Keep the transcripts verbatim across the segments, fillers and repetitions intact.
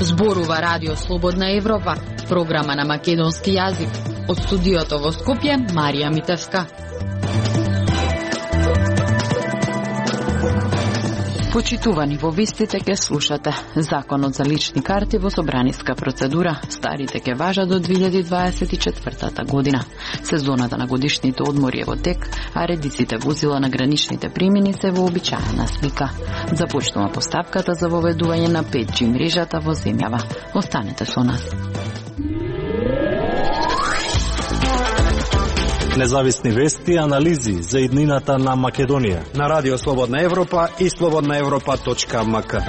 Зборува Радио Слободна Европа, програма на македонски јазик. Од студиото во Скопје, Марија Митевска. Почитувани во вистите ке слушате. Законот за лични карти во собраниска процедура. Старите ке важат до две илјади дваесет и четвртата година. Сезоната на годишните одмори е во тек, а редиците возила на граничните премини се вообичаена слика. Започнува постапката за воведување на пет джи мрежата во земјава. Останете со нас. Независни вести и анализи за иднината на Македонија на Радио Слободна Европа и слободна европа точка ем ка.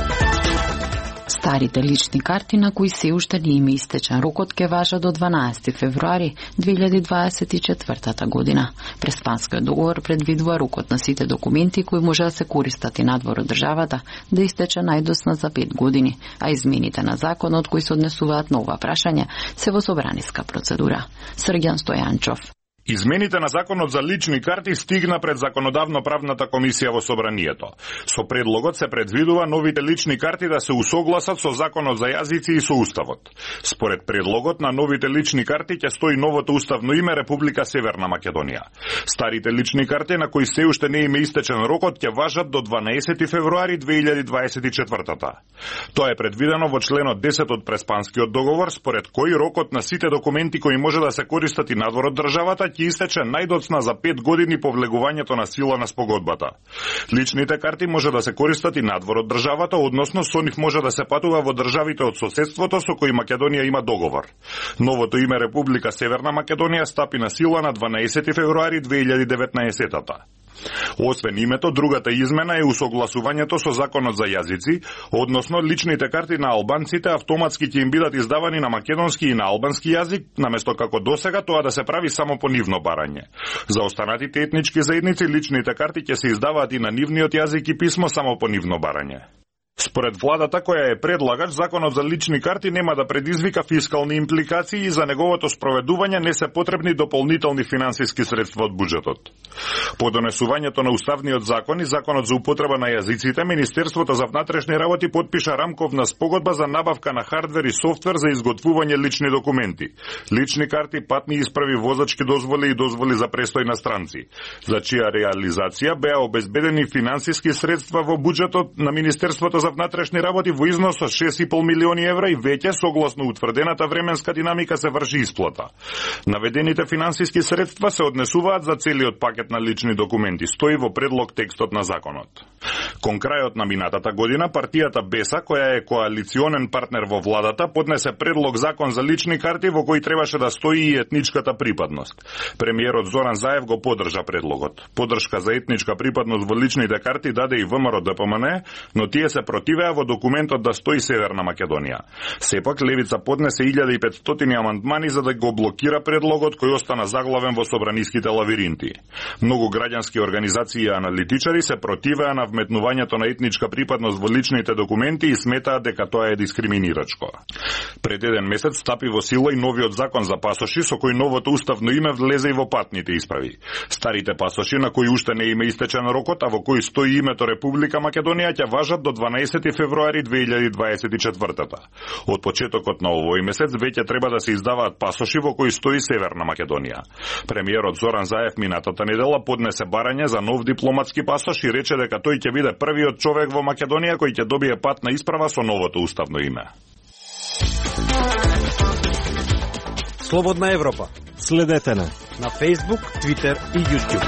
Старите лични карти на кои се уште не им истечен рокот ке важат до дванаесети февруари две илјади дваесет и четвртата година. Преспанскиот договор предвидува рокот на сите документи кои може да се користат и надвор од државата да истече најдосна за пет години, а измените на законот кои се однесуваат на ова прашање се во собраниска процедура. Срѓан Стојанчов. Измените на законот за лични карти стигна пред Законодавно-правната комисија во собранието. Со предлогот се предвидува новите лични карти да се усогласат со Законот за јазици и со Уставот. Според предлогот на новите лични карти ќе стои новото уставно име Република Северна Македонија. Старите лични карти на кои се уште не им е истечен рокот ќе важат до дванаесети февруари две илјади дваесет и четвртата. Тоа е предвидено во членот десет од Преспанскиот договор, според кој рокот на сите документи кои може да се користат и надвор од државата ќе истече најдоцна за пет години по влегувањето на сила на спогодбата. Личните карти може да се користат и надвор од државата, односно со нив може да се патува во државите од соседството со кои Македонија има договор. Новото име Република Северна Македонија стапи на сила на дванаесети февруари две илјади деветнаесетата. Освен името, другата измена е усогласувањето со Законот за јазици, односно личните карти на албанците автоматски ќе им бидат издавани на македонски и на албански јазик, наместо како досега тоа да се прави само по нивно барање. За останатите етнички заедници личните карти ќе се издаваат и на нивниот јазик и писмо само по нивно барање. Според владата која е предлагач, законот за лични карти нема да предизвика фискални импликации и за неговото спроведување не се потребни дополнителни финансиски средства од буџетот. По донесувањето на уставниот закон и законот за употреба на јазиците, Министерството за внатрешни работи подпиша рамковна спогодба за набавка на хардвер и софтвер за изготвување лични документи, лични карти, патни исправи, возачки дозволи и дозволи за престој на странци, за чија реализација беа обезбедени финансиски средства во буџетот на Министерството за внатрешни работи во износ од шест и пол милиони евра и веќе согласно утврдената временска динамика се врши исплата. Наведените финансиски средства се однесуваат за целиот пакет на лични документи, стои во предлог текстот на законот. Кон крајот на минатата година, партијата Беса, која е коалиционен партнер во владата, поднесе предлог закон за лични карти во кој требаше да стои и етничката припадност. Премиерот Зоран Заев го поддржа предлогот. Поддршка за етничка припадност во личните карти даде и ВМРО Д П М Н, но тие се противеа во документот да стои Северна Македонија. Сепак Левица поднесе илјада и петстотини амандмани за да го блокира предлогот кој остана заглавен во собраниските лавиринти. Многу граѓански организации и аналитичари се противеа на вметнувањето на етничка припадност во личните документи и сметаат дека тоа е дискриминирачко. Пред еден месец стапи во сила и новиот закон за пасоши со кој новото уставно име влезе и во патните исправи. Старите пасоши на кои уште не име истечен рокот, а во кои стои името Република Македонија ќе важат до дванаесети февруари две илјади дваесет и четвртата. Од почетокот на овој месец веќе треба да се издаваат пасоши во кои стои Северна Македонија. Премиерот Зоран Заев минатата недела поднесе барање за нов дипломатски пасош и рече дека тој ќе биде првиот човек во Македонија кој ќе добие патна исправа со новото уставно име. Слободна Европа. Следете на на Facebook, Twitter и YouTube.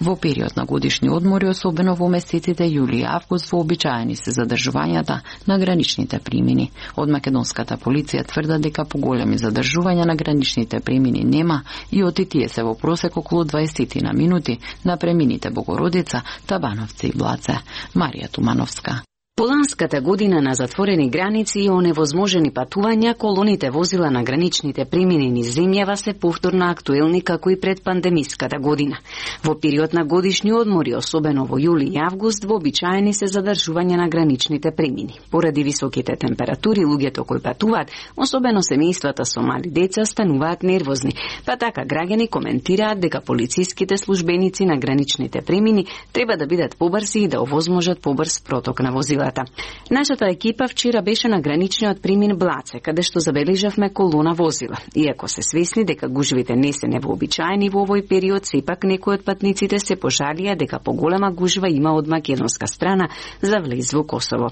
Во период на годишни одмори, особено во месеците јули и август, вообичаени се задржувањата на граничните премини. Од македонската полиција тврдат дека поголеми задржувања на граничните премини нема и оти тие се во просек околу дваесет на минути на премините Богородица, Табановци и Блаце. Марија Тумановска. Поланската година на затворени граници и оневозможени патувања, колоните возила на граничните премини низ земјава се повторно актуелни како и пред пандемиската година. Во период на годишни одмори, особено во јули и август, вообичаени се задржување на граничните премини. Поради високите температури, луѓето кои патуваат, особено семејствата со мали деца, стануваат нервозни, па така граѓани коментираат дека полициските службеници на граничните премини треба да бидат побрзи и да овозможат побрз проток на возилата. Нашата екипа вчера беше на граничниот премин Блаце, каде што забележавме колона возила. Иако се свесни дека гужвите не се невообичаени во овој период, сепак некои од патниците се пожалија дека поголема гужва има од македонска страна за влез во Косово.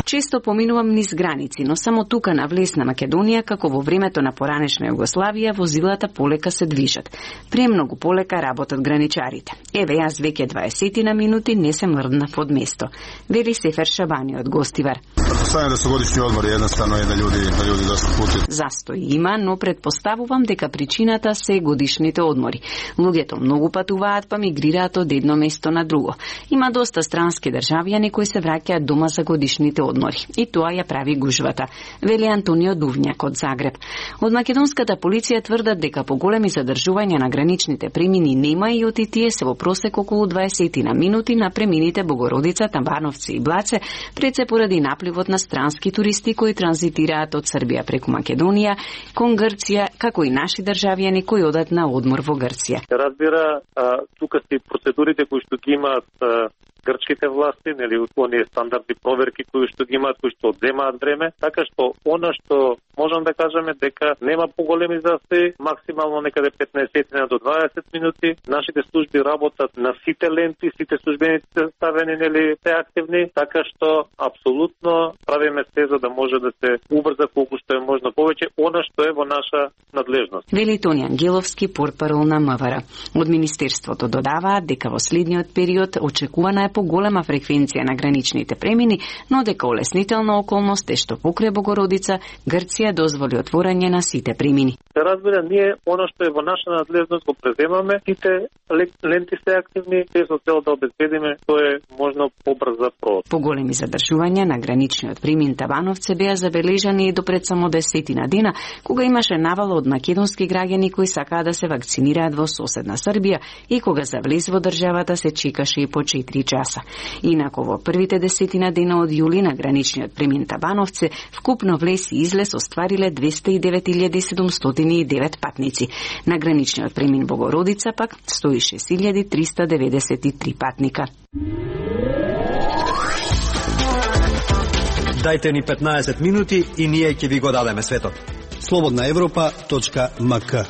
Често поминувам низ граници, но само тука на влез на Македонија, како во времето на поранешна Југославија, возилата полека се движат. Премногу полека работат граничарите. Еве, јас веќе дваесет на минути не се мрднав од место, вели Сефер Шабани од Гостивар. Претпоставувам да се годишни одмори, едноставно е да луѓе, да луѓе доста пути. Застој има, но предпоставувам дека причината се годишните одмори. Луѓето многу патуваат, па мигрираат од едно место на друго. Има доста странски државјани кои се враќаат дома за годишните одмори. И тоа ја прави гужвата, вели Антонио Дувњак од Загреб. Од македонската полиција тврдат дека поголеми задржувања на граничните премини нема и од тие се во просек околу дваесет на минути на премините Богородица, Табановци и Блаце, пред се поради напливот на странски туристи кои транзитираат од Србија преку Македонија кон Грција, како и наши државјани кои одат на одмор во Грција. Разбира, тука се процедурите кои што ги имаат грчките власти, нели, оние стандардни проверки кои што ги имаат, кои што одземаат време, така што она што можам да кажеме дека нема поголеми застои, максимално некаде петнаесет до дваесет минути. Нашите служби работат на сите ленти, сите службеници ставени, нели, се активни, така што апсолутно правиме се за да може да се убрза колку што е можно повеќе она што е во наша надлежност. Вели Тони Ангеловски, портпарол на МВР. Од министерството додаваат дека во следниот период очекувана е поголема фреквенција на граничните премини, но дека олеснителна околност е што покрај Богородица, Грција дозволи отворање на сите премини. Се разбира, ние она што е во наша надлежност го преземаме, сите ленти се активни, се со цел да обезбедиме тоа е можно побрза прод. Поголеми задржувања на граничниот премин Табановце беа забележани и до пред само десетина дена, кога имаше навала од македонски граѓани кои сакаа да се вакцинираат во соседна Србија и кога за влез во државата се чекаше и по четири часа. Инако во првите десетина дена од јули на граничниот премин Табановце вкупно влез и излез оствариле двесте и девет илјади седумстотини и девет патници. На граничниот премин Богородица пак сто и шест илјади триста деведесет и три патника. Дајте ни петнаесет минути и ние ќе ви го дадеме светот. слободна европа точка ем ка.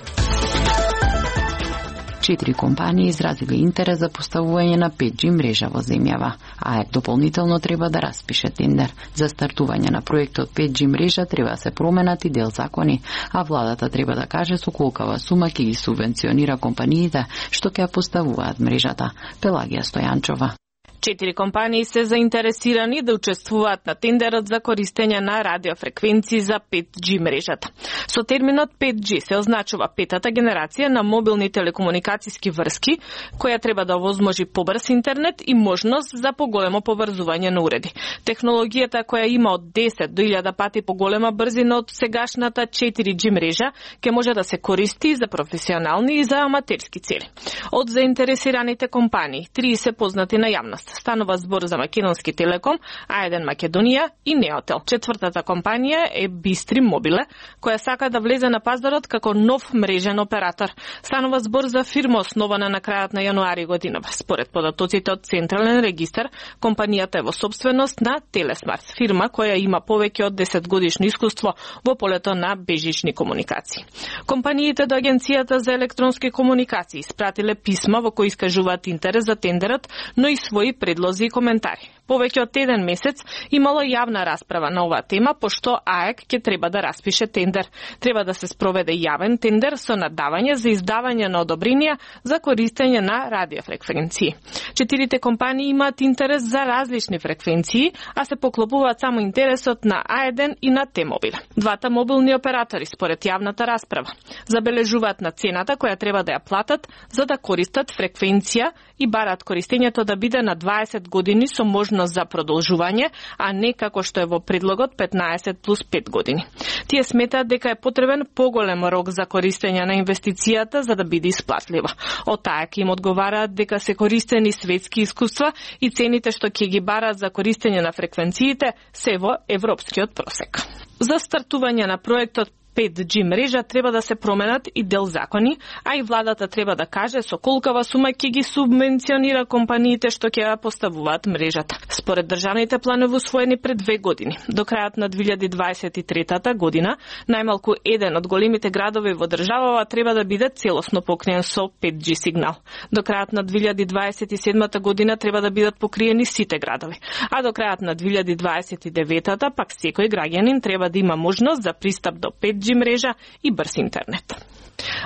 Четири компании изразили интерес за поставување на пет джи мрежа во земјава. АЕК дополнително треба да распише тендер. За стартување на проектот пет джи мрежа треба да се променат и дел закони, а владата треба да каже со колкава сума ќе ги субвенционира компаниите што ќе поставуваат мрежата. Пелагија Стојанчова. Четири компании се заинтересирани да учествуваат на тендерот за користење на радиофреквенции за пет джи мрежата. Со терминот пет джи се означува петата генерација на мобилни телекомуникацијски врски, која треба да овозможи побрз интернет и можност за поголемо поврзување на уреди. Технологијата која има од десет до илјада пати поголема брзина од сегашната четири джи мрежа ќе може да се користи за професионални и за аматерски цели. Од заинтересираните компании, три се познати на јавност. Станува збор за Македонски Телеком, а еден Македонија и Неотел. Четвртата компанија е Бистрим Мобиле, која сака да влезе на пазарот како нов мрежен оператор. Станува збор за фирма основана на крајот на јануари годинава. Според податоците од Централен регистар, компанијата е во собственост на Телесмарт, фирма која има повеќе од десет годишно искуство во полето на бежични комуникации. Компаниите до Агенцијата за електронски комуникации испратиле писма во кои искажуваат интерес за тендерот, но и своји предлози и коментари. Повеќе од еден месец имало јавна расправа на оваа тема, пошто АЕК ќе треба да распише тендер. Треба да се спроведе јавен тендер со надавање за издавање на одобренија за користење на радиофреквенции. Четирите компании имаат интерес за различни фреквенции, а се поклопуваат само интересот на А еден и на Т-мобил. Двата мобилни оператори, според јавната расправа, забележуваат на цената која треба да ја платат за да користат фреквенција и бараат користењето да биде на дваесет години со можност за продолжување, а не како што е во предлогот петнаесет плюс пет години. Тие сметаат дека е потребен поголем рок за користење на инвестицијата за да биде исплатлива. Од АЕК им одговараат дека се користени светски искуства и цените што ќе ги бараат за користење на фреквенциите се во европскиот просек. За стартување на проектот пет џи мрежа треба да се променат и дел закони, а и владата треба да каже со колкава сума ќе ги субвенционира компаниите што ќе ја поставуваат мрежата. Според државните планови усвоени пред две години, до крајот на две илјади дваесет и трета година, најмалку еден од големите градови во државава треба да биде целосно покриен со пет џи сигнал. До крајот на две илјади дваесет и седма година треба да бидат покриени сите градови, а до крајот на две илјади дваесет и девета пак секој граѓанин треба да има можност за пристап до пет џи мрежа и брз интернет.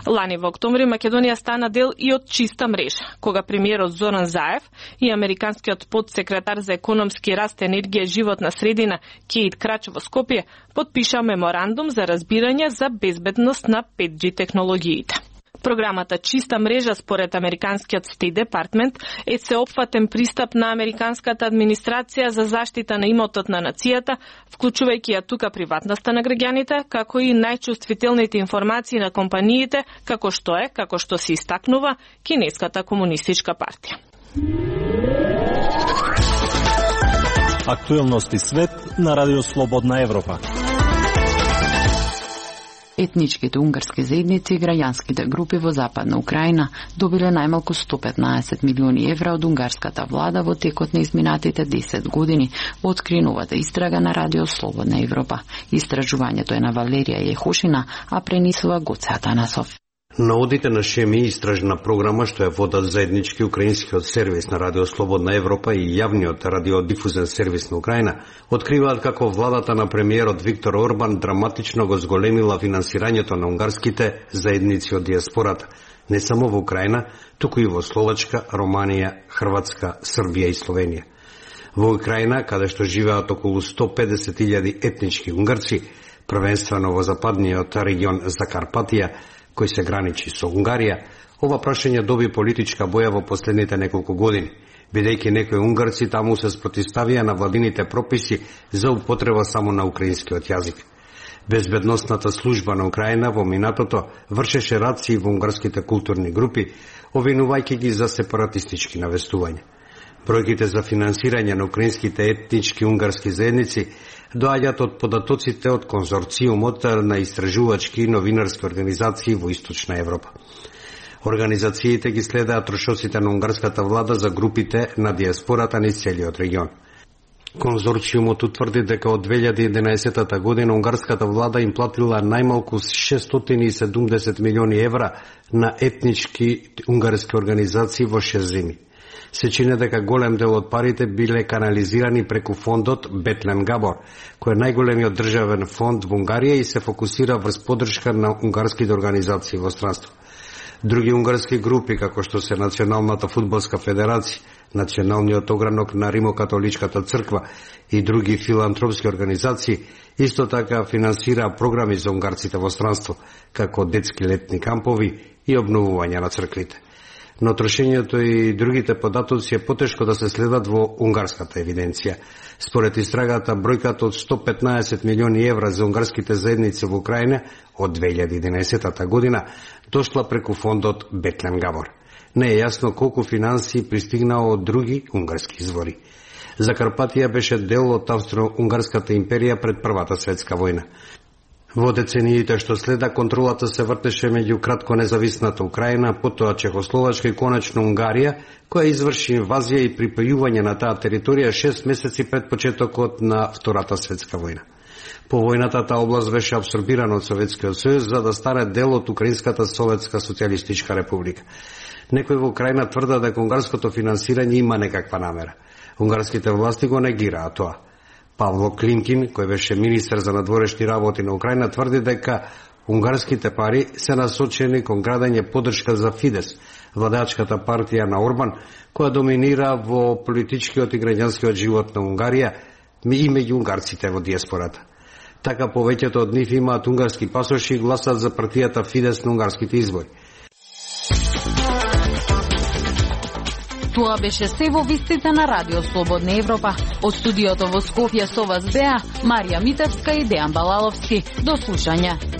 Лани во октомври Македонија стана дел и од чиста мрежа, кога премиерот Зоран Заев и американскиот подсекретар за економски раст, енергија и животна средина Кейт Крач во Скопје потпиша меморандум за разбирање за безбедност на пет џи технологиите. Програмата Чиста мрежа според американскиот Стейт Департмент е сеопфатен пристап на американската администрација за заштита на имотот на нацијата, вклучувајќи ја тука приватноста на граѓаните, како и најчувствителните информации на компаниите, како што е, како што се истакнува, Кинеската комунистичка партија. Актуелности свет на Радио Слободна Европа. Етничките унгарски заедници и граѓанските групи во Западна Украина добиле најмалку сто петнаесет милиони евра од унгарската влада во текот на изминатите десет години, откри новата истрага на Радио Слободна Европа. Истражувањето е на Валерија Јехошина, а пренесува Гоце Атанасов. Наводите на ШЕМИ, истражна програма што ја водат заеднички украинскиот сервис на Радио Слободна Европа и јавниот радиодифузен сервис на Украина, откриваат како владата на премиерот Виктор Орбан драматично го зголемила финансирањето на унгарските заедници од диаспората, не само во Украина, туку и во Словачка, Романија, Хрватска, Србија и Словенија. Во Украина, каде што живеат околу сто педесет илјади етнички унгарци, првенствено во западниот регион Закарпатија, кој се граничи со Унгарија, ова прашање доби политичка боја во последните неколку години, бидејќи некои унгарци таму се спротивставија на владините прописи за употреба само на украинскиот јазик. Безбедносната служба на Украина во минатото вршеше раци во унгарските културни групи, обвинувајќи ги за сепаратистички навестувања. Бројките за финансирање на украинските етнички унгарски заедници доаѓаат од податоците од конзорциумот на истражувачки и новинарски организации во Источна Европа. Организациите ги следаат трошоците на унгарската влада за групите на диаспората низ целиот регион. Конзорциумот утврди дека од две илјади и единаесета година унгарската влада им платила најмалку шестстотини и седумдесет милиони евра на етнички унгарски организации во шест земи. Се чини дека голем дел од парите биле канализирани преку фондот Бетлен Габор, кој е најголемиот државен фонд во Унгарија и се фокусира врз поддршка на унгарските организации во странство. Други унгарски групи, како што се Националната фудбалска федерација, Националниот огранок на Римокатоличката црква и други филантропски организации, исто така финансира програми за унгарците во странство, како детски летни кампови и обновување на црквите. Но трошењето и другите податоци е потешко да се следат во унгарската евиденција. Според истрагата, бројката од сто петнаесет милиони евра за унгарските заедници во Украина од две илјади и единаесета година дошла преку фондот Бетлен Габор. Не е јасно колку финансии пристигнаа од други унгарски извори. Закарпатија беше дел од Австро-Унгарската империја пред Првата светска војна. Во децениите што следа, контролата се вртеше меѓу кратко независната Украина, потоа Чехословачка и конечно Унгарија, која изврши инвазија и припајување на таа територија шест месеци пред почетокот на Втората светска војна. По војната таа област беше абсорбирана од Советскиот сојуз за да стане дел од Украинската советска социјалистичка република. Некои во Украина тврдат дека унгарското финансирање има некаква намера. Унгарските власти го негираат тоа. Павло Климкин, кој беше министер за надворешни работи на Украина, тврди дека унгарските пари се насочени кон градење поддршка за Фидес, владачката партија на Орбан, која доминира во политичкиот и граѓанскиот живот на Унгарија и меѓу унгарците во диаспората. Така повеќето од нив имаат унгарски пасоши и гласат за партијата Фидес на унгарските избори. Тоа беше се во вистите на Радио Слободна Европа. Од студиото во Скопје со вас беа Марија Митевска и Дејан Балаловски. До слушање.